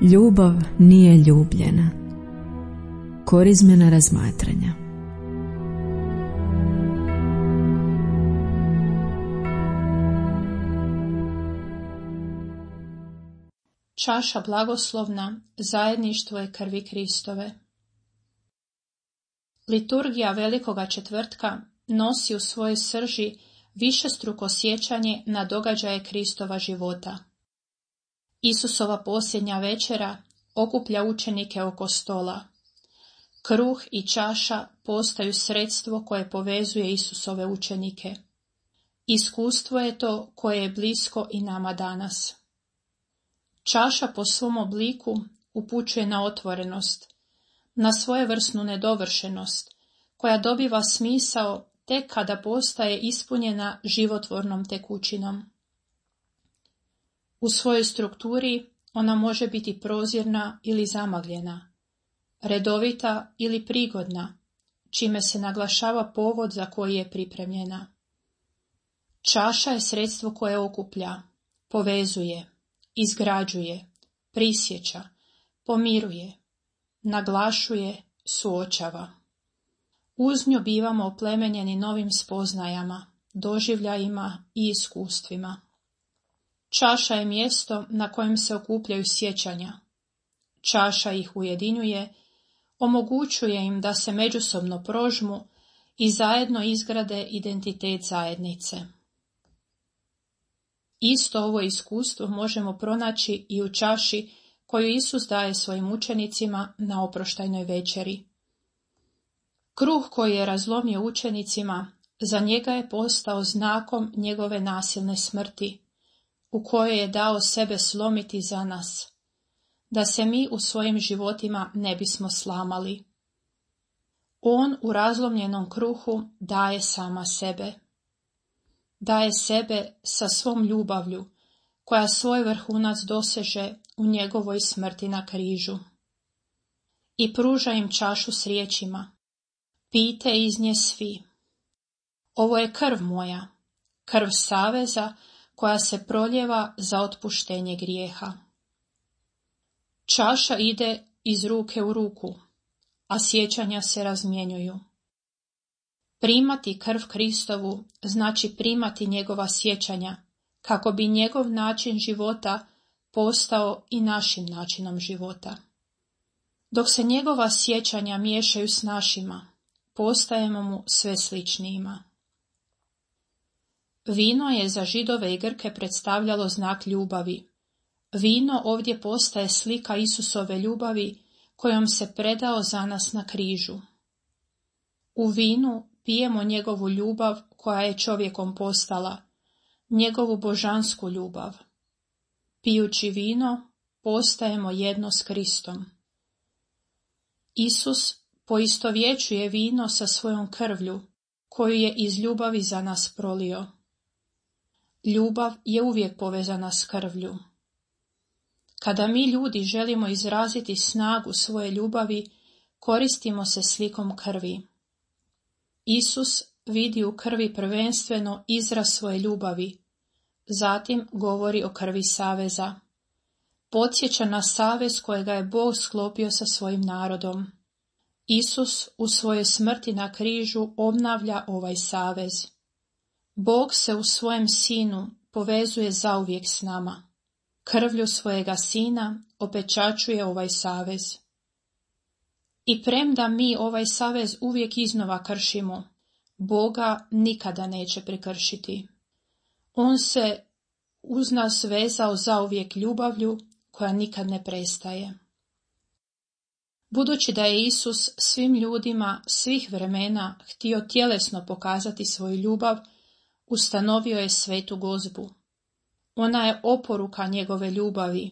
Ljubav nije ljubljena. Korizmena razmatranja. Čaša blagoslovna, zajedništvo je krvi Kristove. Liturgija Velikoga četvrtka nosi u svojoj srži višestruko sjećanje na događaje Kristova života. Isusova posljednja večera okuplja učenike oko stola. Kruh i čaša postaju sredstvo koje povezuje Isusove učenike. Iskustvo je to koje je blisko i nama danas. Čaša po svom obliku upućuje na otvorenost, na svojevrsnu nedovršenost, koja dobiva smisao tek kada postaje ispunjena životvornom tekućinom. U svojoj strukturi ona može biti prozirna ili zamagljena, redovita ili prigodna, čime se naglašava povod za koji je pripremljena. Čaša je sredstvo koje okuplja, povezuje, izgrađuje, prisjeća, pomiruje, naglašuje, suočava. Uz nju bivamo oplemenjeni novim spoznajama, doživljajima i iskustvima. Čaša je mjesto na kojem se okupljaju sjećanja. Čaša ih ujedinjuje, omogućuje im da se međusobno prožmu i zajedno izgrade identitet zajednice. Isto ovo iskustvo možemo pronaći i u čaši koju Isus daje svojim učenicima na oproštajnoj večeri. Kruh koji je razlomio učenicima, za njega je postao znakom njegove nasilne smrti, u kojoj je dao sebe slomiti za nas, da se mi u svojim životima ne bismo slamali. On u razlomljenom kruhu daje sama sebe. Daje sebe sa svom ljubavlju, koja svoj vrhunac doseže u njegovoj smrti na križu. I pruža im čašu s riječima: pijte iz nje svi. Ovo je krv moja, krv saveza koja se proljeva za otpuštenje grijeha. Čaša ide iz ruke u ruku, a sjećanja se razmjenjuju. Primati krv Kristovu znači primati njegova sjećanja, kako bi njegov način života postao i našim načinom života. Dok se njegova sjećanja miješaju s našima, postajemo mu sve sličnijima. Vino je za Židove i Grke predstavljalo znak ljubavi. Vino ovdje postaje slika Isusove ljubavi kojom se predao za nas na križu. U vinu pijemo njegovu ljubav koja je čovjekom postala, njegovu božansku ljubav. Pijući vino, postajemo jedno s Kristom. Isus poistovjećuje vino sa svojom krvlju, koju je iz ljubavi za nas prolio. Ljubav je uvijek povezana s krvlju. Kada mi ljudi želimo izraziti snagu svoje ljubavi, koristimo se slikom krvi. Isus vidi u krvi prvenstveno izraz svoje ljubavi, zatim govori o krvi saveza. Podsjeća na savez kojega je Bog sklopio sa svojim narodom. Isus u svojoj smrti na križu obnavlja ovaj savez. Bog se u svojem Sinu povezuje zauvijek s nama. Krvlju svojega Sina opečačuje ovaj savez. I premda mi ovaj savez uvijek iznova kršimo, Boga nikada neće prekršiti. On se uz nas vezao zauvijek ljubavlju koja nikad ne prestaje. Budući da je Isus svim ljudima svih vremena htio tjelesno pokazati svoju ljubav, ustanovio je svetu gozbu. Ona je oporuka njegove ljubavi,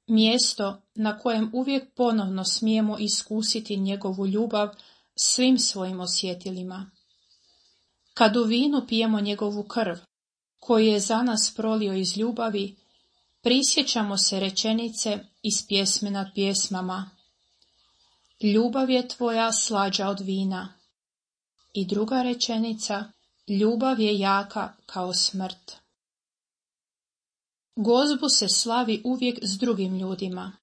mjesto na kojem uvijek ponovno smijemo iskusiti njegovu ljubav svim svojim osjetilima. Kad u vinu pijemo njegovu krv, koju je za nas prolio iz ljubavi, prisjećamo se rečenice iz pjesme nad pjesmama: ljubav je tvoja slađa od vina. I druga rečenica: ljubav je jaka kao smrt. Gozbu se slavi uvijek s drugim ljudima.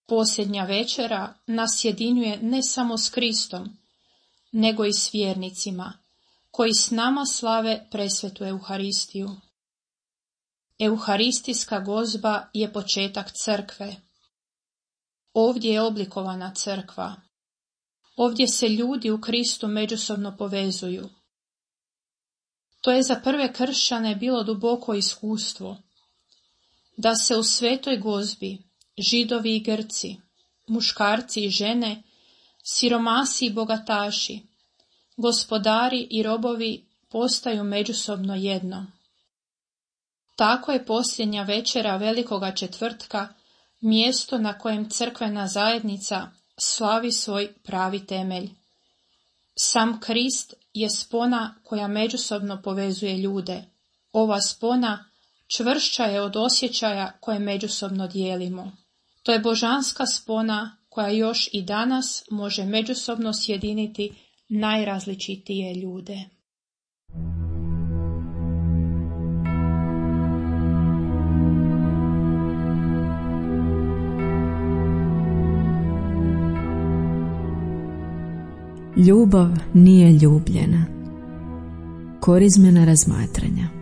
Posljednja večera nas jedinjuje ne samo s Kristom, nego i s vjernicima, koji s nama slave presvetu Euharistiju. Euharistijska gozba je početak crkve. Ovdje je oblikovana crkva. Ovdje se ljudi u Kristu međusobno povezuju. To je za prve kršćane bilo duboko iskustvo, da se u svetoj gozbi Židovi i Grci, muškarci i žene, siromasi i bogataši, gospodari i robovi postaju međusobno jedno. Tako je posljednja večera Velikoga četvrtka mjesto na kojem crkvena zajednica slavi svoj pravi temelj. Sam Krist je spona koja međusobno povezuje ljude. Ova spona čvršća je od osjećaja koje međusobno dijelimo. To je božanska spona koja još i danas može međusobno sjediniti najrazličitije ljude. Ljubav nije ljubljena. Korizmena razmatranja.